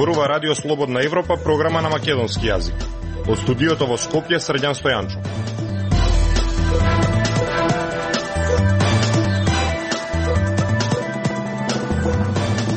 Зборува Радио Слободна Европа, програма на македонски јазик. Од студиото во Скопје, Срđan Стојанчо.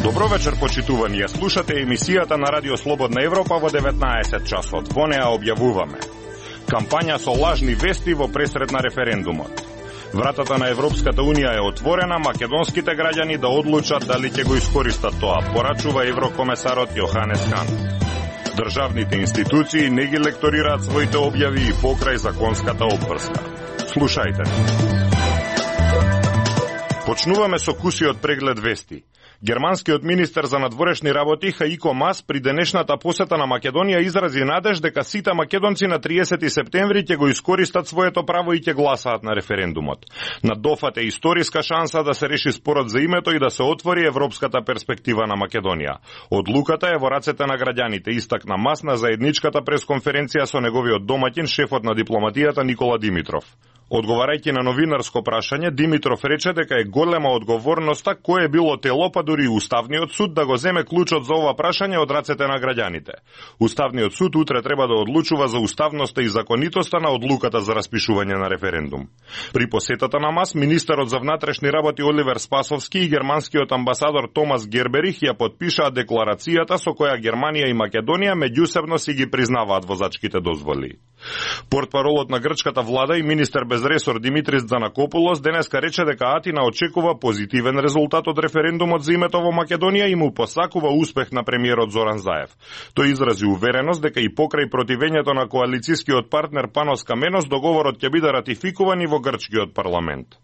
Добро вечер, почитувани. Ја слушате емисијата на Радио Слободна Европа во 19 часот. Во неа објавуваме кампања со лажни вести во пресред на референдумот. Вратата на Европската Унија е отворена, македонските граѓани да одлучат дали ќе го искористат тоа, порачува еврокомесарот Јоханес Хан. Државните институции не ги лекторираат своите објави и покрај законската обврска. Слушајте. Почнуваме со кусиот преглед вести. Германскиот министер за надворешни работи Хаико Мас при денешната посета на Македонија изрази надеж дека сите македонци на 30 септември ќе го искористат своето право и ќе гласаат на референдумот. На дофат е историска шанса да се реши спорот за името и да се отвори европската перспектива на Македонија. Одлуката е во рацете на граѓаните, истакна Мас на заедничката пресконференција со неговиот домаќин, шефот на дипломатијата Никола Димитров. Одговарајќи на новинарско прашање, Димитров рече дека е голема одговорноста кое било тело, па дури Уставниот суд да го земе клучот за ова прашање од рацете на граѓаните. Уставниот суд утре треба да одлучува за уставноста и законитоста на одлуката за распишување на референдум. При посетата на Мас, министерот за внатрешни работи Оливер Спасовски и германскиот амбасадор Томас Герберих ја подпишаа декларацијата со која Германија и Македонија меѓусебно си ги признаваат возачките дозволи. Портпаролот на грчката влада и министер без ресор Димитрис Дзанакопулос денеска рече дека Атина очекува позитивен резултат од референдумот за името во Македонија и му посакува успех на премиерот Зоран Заев. Тој изрази увереност дека и покрај противењето на коалицискиот партнер Панос Каменос договорот ќе биде ратификуван и во грчкиот парламент.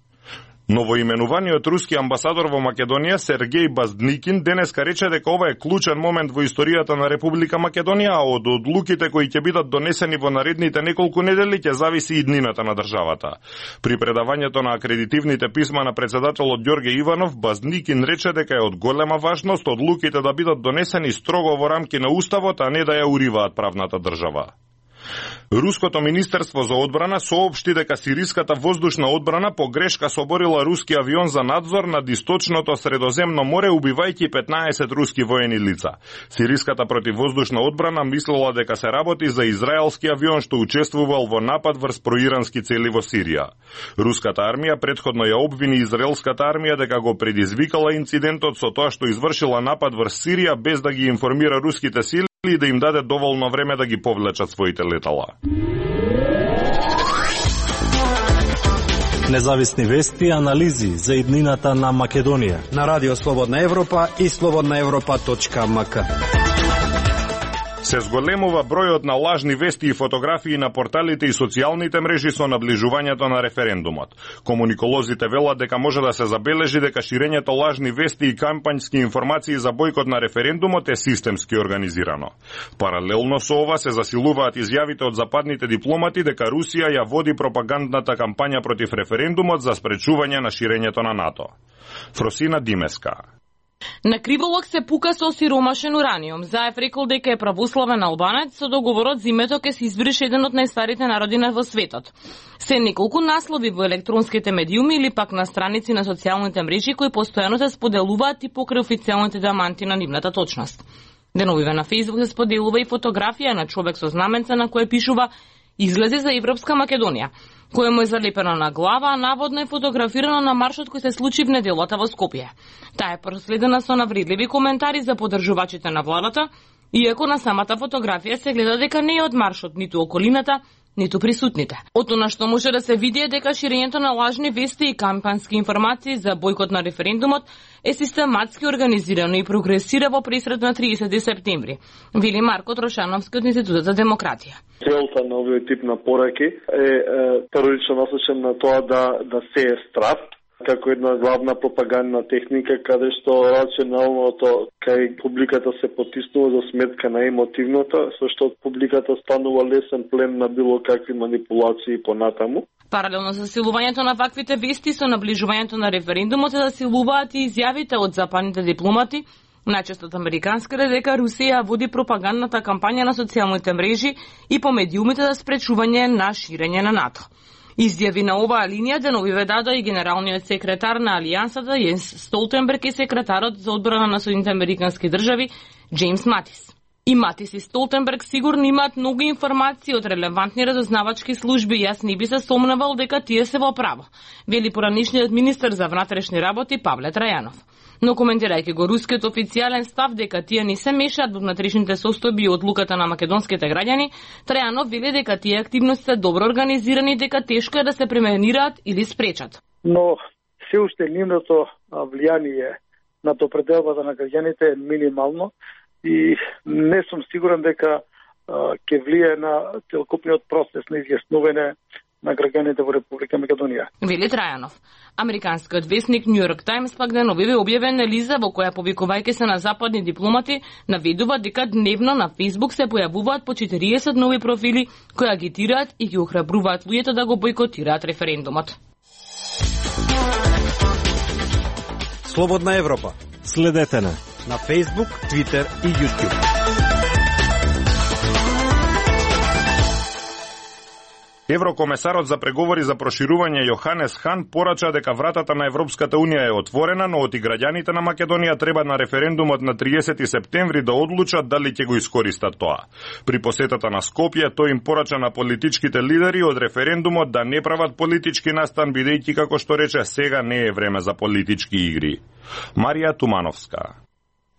Новоименуваниот руски амбасадор во Македонија Сергеј Баздникин денеска рече дека ова е клучен момент во историјата на Република Македонија, а од одлуките кои ќе бидат донесени во наредните неколку недели ќе зависи и иднината на државата. При предавањето на акредитивните писма на председателот Ѓорге Иванов, Баздникин рече дека е од голема важност одлуките да бидат донесени строго во рамки на уставот, а не да ја уриваат правната држава. Руското министерство за одбрана соопшти дека сириската воздушна одбрана по грешка соборила руски авион за надзор над источното Средоземно море, убивајќи 15 руски воени лица. Сириската противвоздушна одбрана мислела дека се работи за израелски авион што учествувал во напад врз проирански цели во Сирија. Руската армија претходно ја обвини израелската армија дека го предизвикала инцидентот со тоа што извршила напад врз Сирија без да ги информира руските сили и да им даде доволно време да ги повлечат своите летала. Независни вести и анализи за иднината на Македонија на Радио Слободна Европа и slobodnaevropa.mk. Се зголемува бројот на лажни вести и фотографии на порталите и социјалните мрежи со наближувањето на референдумот. Комуниколозите велат дека може да се забележи дека ширењето лажни вести и кампањски информации за бојкот на референдумот е системски организирано. Паралелно со ова се засилуваат изјавите од западните дипломати дека Русија ја води пропагандната кампања против референдумот за спречување на ширењето на НАТО. Фросина Димеска. На криволок се пука со сиромашен ураниум. Заев рекол дека е православен албанец, со договорот за името ке се избрише еден од најстарите народи во светот. Се неколку наслови во електронските медиуми или пак на страници на социјалните мрежи кои постојано се споделуваат и покрај официјалните даманти на нивната точност. Деновиве на Фејсбук се споделува и фотографија на човек со знаменце на кое пишува "Излези за Европска Македонија", кое му е залепено на глава, а наводно е фотографирано на маршот кој се случи в неделата во Скопје. Таа е проследена со навредливи коментари за поддржувачите на владата, иако на самата фотографија се гледа дека не е од маршот ниту околината, ниту присутните. Од она што може да се види е дека ширењето на лажни вести и кампански информации за бојкот на референдумот е систематски организирано и прогресира во пресред на 30 септември, вели Марко Трошановски од Институтот за демократија. Целта на овој тип на пораки е првично насочен на тоа да се е страв како една главна пропагандна техника, каде што рационалното кај публиката се потиснува за сметка на емотивното, со што публиката станува лесен плен на било какви манипулации понатаму. Паралелно со засилувањето на ваквите вести со наближувањето на референдумот се засилуваат и изјавите од западните дипломати, најчесто од американските, дека Русија води пропагандната кампања на социјалните мрежи и по медиумите за спречување на ширење на НАТО. Изјави на оваа линија деновиве даде и генералниот секретар на Алијансата Јенс Столтенберг и секретарот за одбрана на Соединените американски држави Джеймс Матис. И Матис и Столтенберг сигурно имаат многу информации од релевантни разузнавачки служби и јас не би се сомневал дека тие се во право, вели поранишниот министер за внатрешни работи Павле Трајанов. Но коментирајќи го рускиот официјален став дека тие не се мешаат во внатрешните состојби и одлуката на македонските граѓани, Трајанов вели дека тие активности се добро организирани и дека тешко е да се пременираат или спречат. Но се уште нивното влијание над определбата на граѓаните е минимално и не сум сигурен дека ќе влие на целокупниот процес на изјаснување на граѓаните во Република Македонија. Вели Трајанов. Американскиот весник Нью Йорк Таймс пак деновиве објавен анализа во која, повикувајќи се на западни дипломати, наведува дека дневно на Facebook се појавуваат по 40 нови профили кои агитираат и ги охрабруваат луѓето да го бойкотираат референдумот. Слободна Европа. Следете на Facebook, Twitter и YouTube. Еврокомесарот за преговори за проширување Јоханес Хан порача дека вратата на Европската Унија е отворена, но оти граѓаните на Македонија треба на референдумот на 30 септември да одлучат дали ќе го искористат тоа. При посетата на Скопје тој им порача на политичките лидери од референдумот да не прават политички настан, бидејќи, како што рече, сега не е време за политички игри. Марија Тумановска.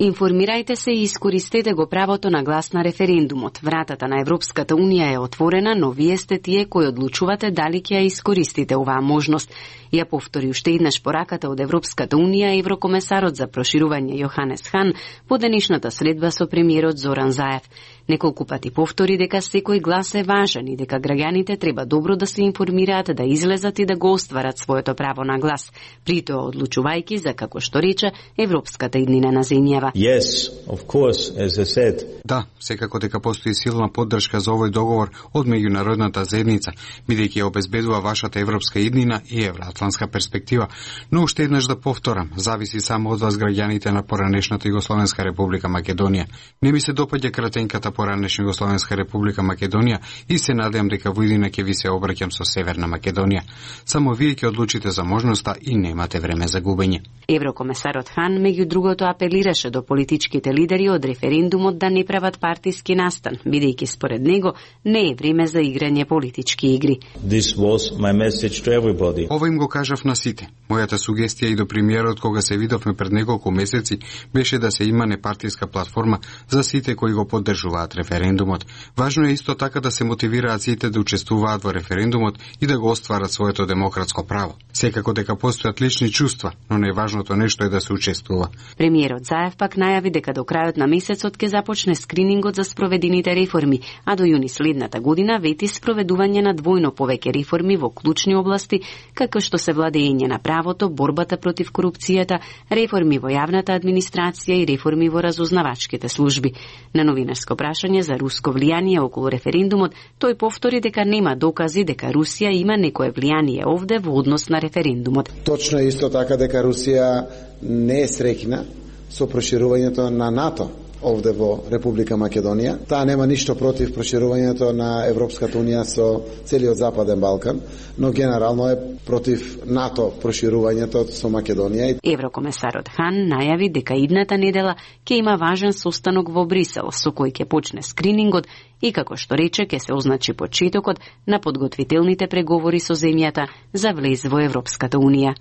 Информирајте се и искористете го правото на глас на референдумот. Вратата на Европската Унија е отворена, но вие сте тие кои одлучувате дали ќе ја искористите оваа можност. Ја повтори уште еднаш пораката од Европската Унија еврокомесарот за проширување Јоханес Хан по денешната средба со премиерот Зоран Заев. Неколку пати повтори дека секој глас е важен и дека граѓаните треба добро да се информираат, да излезат и да го остварат своето право на глас, при тоа одлучувајќи за, како што рече, европската иднина на земјава. Yes, of course, as I said. Да, секако дека постои силна поддршка за овој договор од меѓународната заедница, бидејќи обезбедува вашата европска иднина и евроатлантска перспектива. Но уште еднаш да повторам, зависи само од вас, граѓаните на поранешната Југословенска република Македонија. Не ми се допаѓа кратенката поранешна Југословенска република Македонија и се надевам дека во иднина ќе ви се обраќам со Северна Македонија. Само вие ќе одлучите за можноста и немате време за губење. Еврокомесарот Хан меѓу другото апелираше до политичките лидери од референдумот да не прават партиски настан, бидејќи според него не е време за играње политички игри. This was my message to everybody. Ова им го кажав на сите. Мојата сугестија и до премиерот кога се видовме пред неколку месеци беше да се има непартиска платформа за сите кои го поддржуваат референдумот. Важно е исто така да се мотивираат сите да учествуваат во референдумот и да го остварат своето демократско право. Секако дека постојат лични чувства, но најважното нешто е да се учествува. Премиерот Заев пак најави дека до крајот на месецот ќе започне скринингот за спроведените реформи, а до јуни следната година вети спроведување на двојно повеќе реформи во клучни области, како што се владење на правото, борбата против корупцијата, реформи во јавната администрација и реформи во разузнавачките служби. На новинарско прашање за руско влијание околу референдумот, тој повтори дека нема докази дека Русија има некое влијание овде во однос на референдумот. Точно е исто така дека Русија не е среќна со проширувањето на НАТО овде во Република Македонија. Таа нема ништо против проширувањето на Европската Унија со целиот Западен Балкан, но генерално е против НАТО проширувањето со Македонија. Еврокомесарот Хан најави дека идната недела ќе има важен состанок во Брисел, со кој ќе почне скринингот и, како што рече, ќе се означи почетокот на подготвителните преговори со земјата за влез во Европската Унија.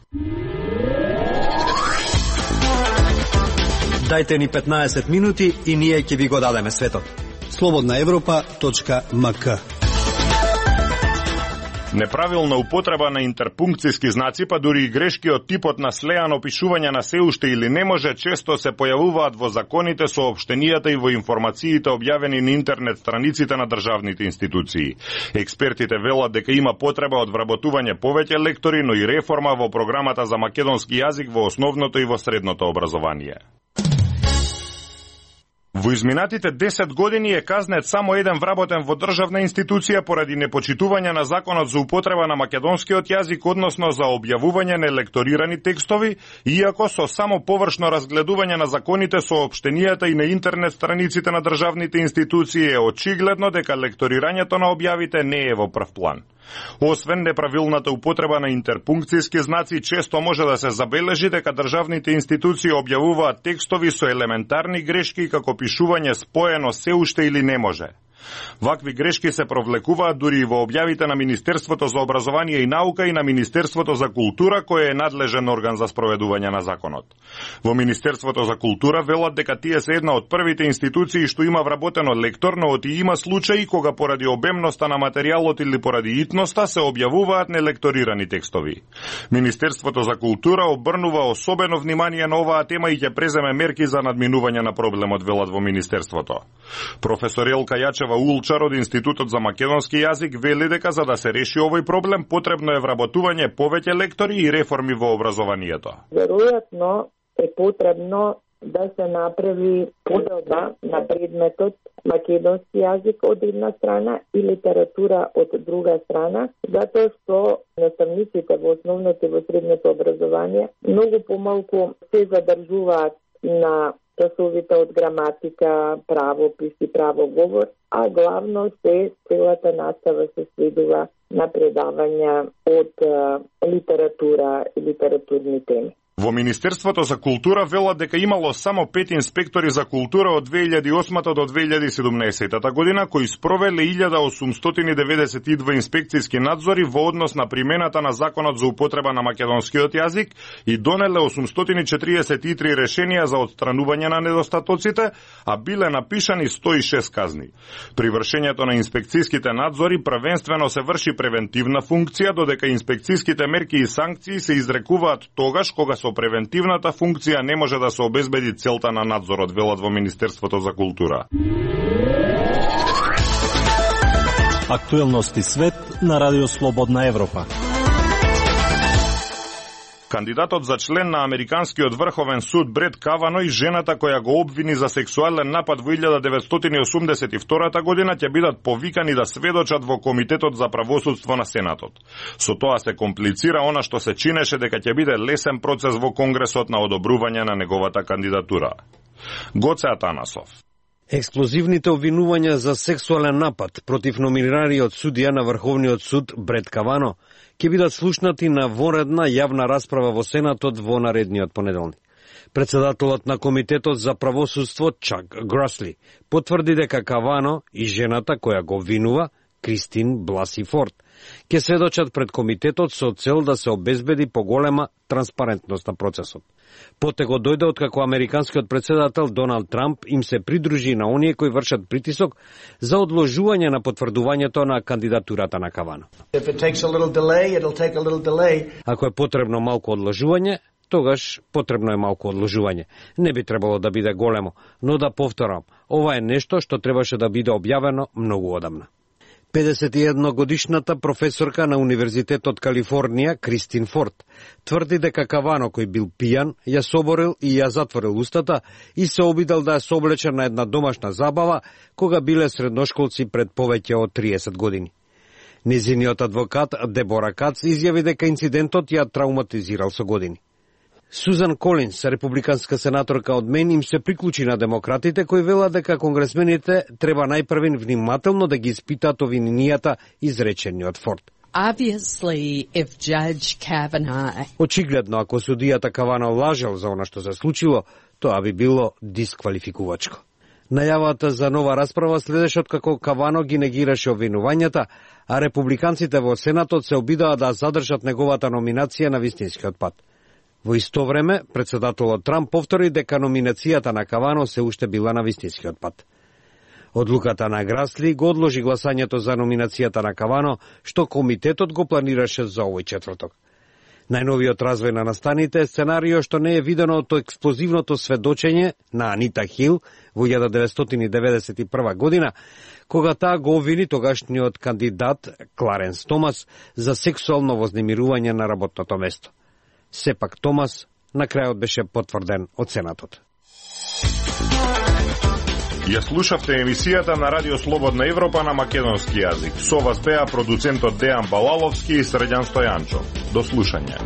Дајте ни 15 минути и ние ќе ви го дадеме светот. slobodnaevropa.mk. Неправилна употреба на интерпункциски знаци, па дури и грешки од типот на слеано опишување на се уште или не може, често се појавуваат во законите, соопштенијата и во информациите објавени на интернет страниците на државните институции. Експертите велат дека има потреба од вработување повеќе лектори, но и реформа во програмата за македонски јазик во основното и во средното образование. Во изминатите 10 години е казнет само еден вработен во државна институција поради непочитување на законот за употреба на македонскиот јазик, односно за објавување на лекторирани текстови, иако со само површно разгледување на законите, соопштенијата и на интернет страниците на државните институции е очигледно дека лекторирањето на објавите не е во прв план. Освен неправилната употреба на интерпункцијски знаци, често може да се забележи дека државните институции објавуваат текстови со елементарни грешки како пишување споено се уште или не може. Вакви грешки се провлекуваат дури и во објавите на Министерството за образование и наука и на Министерството за култура, кој е надлежен орган за спроведување на законот. Во Министерството за култура велат дека тие се една од првите институции што има вработено лектор, но оти има случаи кога поради обемноста на материјалот или поради итноста се објавуваат нелекторирани текстови. Министерството за култура обрнува особено внимание на оваа тема и ќе преземе мерки за надминување на проблемот, велат во Министерството. Професор Елка Јачева Улчар од Институтот за македонски јазик вели дека за да се реши овој проблем потребно е вработување повеќе лектори и реформи во образованието. Веројатно е потребно да се направи поделба на предметот македонски јазик од една страна и литература од друга страна, затоа што наставниците во основното и во средното образование многу помалку се задржуваат на часовите од граматика, правопис и правоговор, а главно се целата настава се сведува на предавања од литература и литературни теми. Во Министерството за култура велат дека имало само 5 инспектори за култура од 2008 до 2017 година кои спровеле 1892 инспекцијски надзори во однос на примената на Законот за употреба на македонскиот јазик и донеле 843 решенија за отстранување на недостатоците, а биле напишани 106 казни. При вршењето на инспекцијските надзори првенствено се врши превентивна функција, додека инспекцијските мерки и санкции се изрекуваат тогаш кога со превентивната функција не може да се обезбеди целта на надзорот, велат во Министерството за култура. Актуелности свет на Радио Слободна Европа. Кандидатот за член на Американскиот врховен суд Брет Кавано и жената која го обвини за сексуален напад во 1982 година ќе бидат повикани да сведочат во Комитетот за правосудство на Сенатот. Со тоа се комплицира она што се чинеше дека ќе биде лесен процес во Конгресот на одобрување на неговата кандидатура. Гоце Атанасов. Експлозивните обвинувања за сексуален напад против номинираниот судија на Врховниот суд Брет Кавано ќе бидат слушнати на вонредна јавна расправа во Сенатот во наредниот понеделник. Председателот на Комитетот за правосудство Чак Гросли потврди дека Кавано и жената која го обвинува, Кристин Бласи Форд, ќе сведочат пред комитетот со цел да се обезбеди поголема транспарентност на процесот. Потего дојде откако американскиот председател Доналд Трамп им се придружи на оние кои вршат притисок за одложување на потврдувањето на кандидатурата на Кавано. Ако е потребно малку одложување, тогаш потребно е малку одложување. Не би требало да биде големо, но да повторам, ова е нешто што требаше да биде објавено многу одамна. 51-годишната професорка на Универзитетот Калифорнија, Кристин Форд, тврди дека Кавано, кој бил пијан, ја соборил и ја затворил устата и се обидел да ја соблече на една домашна забава кога биле средношколци пред повеќе од 30 години. Незиниот адвокат Дебора Кац изјави дека инцидентот ја травматизирал со години. Сузан Колинс, републиканска сенаторка од Мен, им се приклучи на демократите кои велат дека конгресмените треба најпрвен внимателно да ги испитаат обвиненијата изречени од Форд. Очигледно, ако судијата Кавано лажел за она што се случило, тоа би било дисквалификувачко. Најавата за нова расправа следеше откако Кавано ги негираше обвинувањата, а републиканците во Сенатот се обидаа да задржат неговата номинација на вистинскиот пат. Во исто време, председателот Трамп повтори дека номинацијата на Кавано се уште била на вистинскиот пат. Одлуката на Грасли го одложи гласањето за номинацијата на Кавано, што комитетот го планираше за овој четврток. Најновиот развој на настаните е сценарио што не е видено од експлозивното сведочење на Анита Хил во 1991 година, кога таа го обвини тогашниот кандидат Кларенс Томас за сексуално вознемирување на работното место. Сепак Томас на крајот беше потврден од Сенатот. Ја слушавте емисијата на Радио Слободна Европа на македонски јазик. Со вас беа продуцентот Дејан Балаловски и Средјан Стојанчо. До слушање.